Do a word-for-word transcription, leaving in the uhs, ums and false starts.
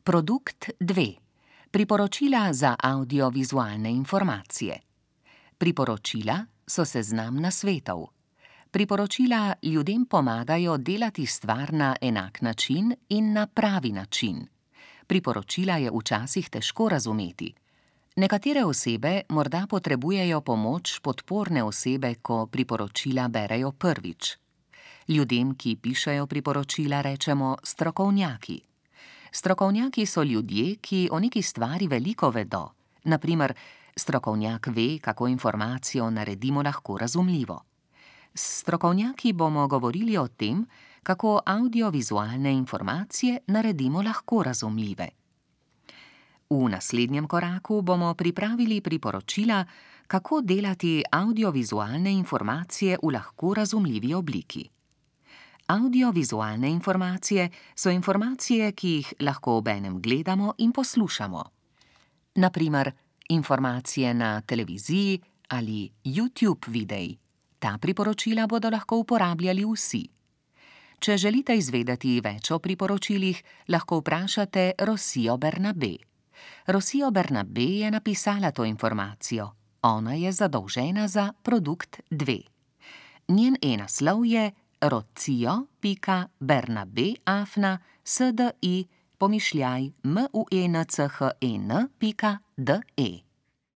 Produkt dve. Priporočila za audiovizualne informacije. Priporočila so seznam nasvetov. Priporočila ljudem pomagajo delati stvar na enak način in na pravi način. Priporočila je včasih težko razumeti. Nekatere osebe morda potrebujejo pomoč podporne osebe, ko priporočila berejo prvič. Ljudem, ki pišejo priporočila, rečemo strokovnjaki. Strokovnjaki so ljudje, ki o neki stvari veliko vedo. Na primer, strokovnjak ve, kako informacijo naredimo lahko razumljivo. S strokovnjaki bomo govorili o tem, kako audiovizualne informacije naredimo lahko razumljive. V naslednjem koraku bomo pripravili priporočila, kako delati audiovizualne informacije v lahko razumljivi obliki. Audiovizualne informacije so informacije, ki jih lahko obenem gledamo in poslušamo. Na primer, informacije na televiziji ali YouTube videi. Ta priporočila bodo lahko uporabljali vsi. Če želite izvedeti več o priporočilih, lahko vprašate Rosijo Bernabé. Rosijo Bernabé je napisala to informacijo. Ona je zadolžena za produkt dve. Njen e-naslov je rocijo pika bernabé afna sdi pomišljaj munchen pika de.